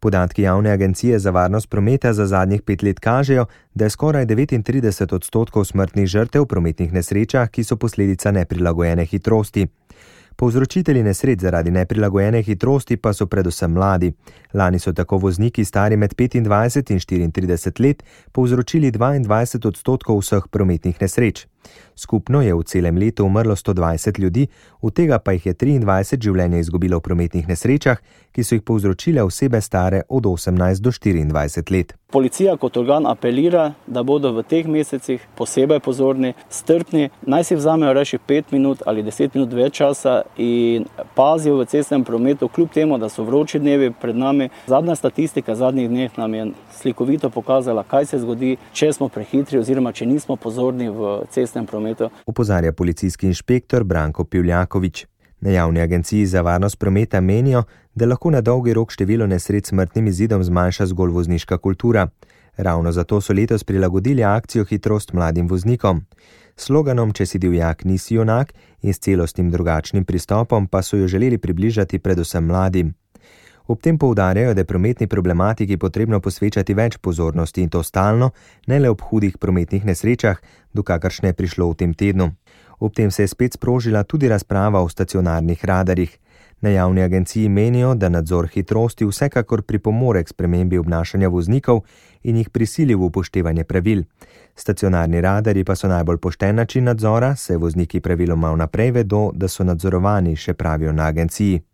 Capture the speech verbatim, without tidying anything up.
Podatki Javne agencije za varnost prometa za zadnjih pet let kažejo, da je skoraj devetintrideset odstotkov smrtnih žrtev v prometnih nesrečah, ki so posledica neprilagojene hitrosti. Povzročitelji nesreč zaradi neprilagojene hitrosti pa so predvsem mladi. Lani so tako vozniki stari med petindvajset in štiriintrideset let povzročili dvaindvajset odstotkov vseh prometnih nesreč. Skupno je v celem letu umrlo sto dvajset ljudi, od tega pa jih je triindvajset življenja izgubilo v prometnih nesrečah, ki so jih povzročile osebe stare od osemnajst do štiriindvajset let. Policija kot organ apelira, da bodo v teh mesecih posebej pozorni, strpni, naj si vzamejo reči pet minut ali deset minut več časa in pazijo v cestnem prometu, kljub temu, da so vroči dnevi pred nami. Zadnja statistika zadnjih dneh nam je slikovito pokazala, kaj se zgodi, če smo prehitri oziroma če nismo pozorni v cestnem prometu. Opozarja policijski inšpektor Branko Pivljaković. Na Javni agenciji za varnost prometa menijo, da lahko na dolgi rok število nesreč s smrtnim izidom zmanjša zgolj vozniška kultura. Ravno zato so letos prilagodili akcijo Hitrost mladim voznikom. Sloganom Če si divjak, nisi junak in s celostnim drugačnim pristopom pa so jo želeli približati predvsem mladim. Ob tem poudarjajo, da je prometni problematiki potrebno posvečati več pozornosti in to stalno, ne le ob hudih prometnih nesrečah, do kakršne je prišlo v tem tednu. Ob tem se je spet sprožila tudi razprava o stacionarnih radarjih. Na Javni agenciji menijo, da nadzor hitrosti vsekakor pripomore k spremembi obnašanja voznikov in jih prisili v upoštevanje pravil. Stacionarni radarji pa so najbolj pošten način nadzora, saj vozniki praviloma vnaprej vedo, da so nadzorovani, še pravijo na agenciji.